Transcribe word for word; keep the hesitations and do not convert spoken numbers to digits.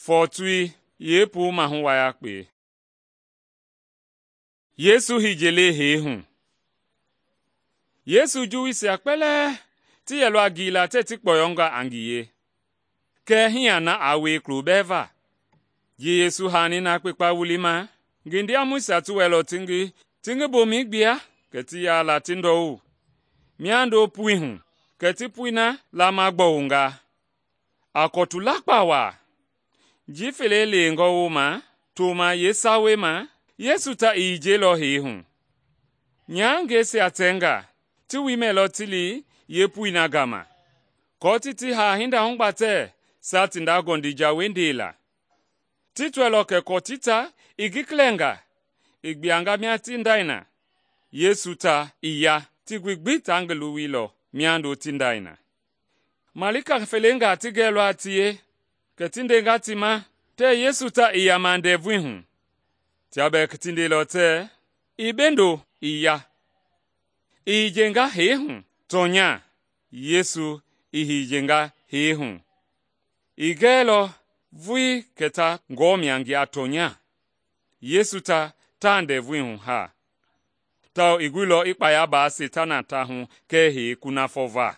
Fɔɔtui yeepuu mahu wayakpe. Yesu hijele hee hu. Yesu Juuisia kpɛlɛɛ ti yɛlɔ a ngiila tɛɛ ti kpɔyɔnga a ngiye. Kɛɛ hii na aa wie kulo bɛɛ va. Ji Yesu haani na kpekpa wulima, ngi ndiamɔisia ti wɛilɔ ti ngi ti ngi bomɛi gbia, kɛ ti yaala ti ndɔwu. Miando pui hu, kɛ ti pui na lama gbɔwunga. A kɔtu lakpa waa. Ji fele leengɔ wooma toma yeesawei ma, Yesu ta i yijiilɔ hee hu. Nyahangɛisia tɛnga, ti woi mɛilɔ ti li yeepui na gama, aako ti ti haa hinda hugbatɛ saa ti nda gɔndija wendei la. Ti tɔɛilɔ kɛ kɔtii ta i ngi klɛnga, i gbianga mia ti ndai na. Yesu ta ii ya, tigbi gbi ta ngi luwuilɔ miando ti ndai na. Malika felengaa ti gɛilɔ a tie, kɛ ti ndenga ti ma tɛɛ Yesu ta ii yama ndɛvui hu. Tia bɛɛ ti ndeilɔ tɛɛ, “Ii bendo, ii ya.” I hijenga hee hu, tɔnya Yesu i hijenga hee hu. I gɛɛlɔ vui kɛ ta ngɔɔmia ngi a tɔnya. Yesu ta taa ndɛvui hu haa, tawao i guilɔ i kpaya baa Seitana ta hu kɛɛ hee kunafɔ va.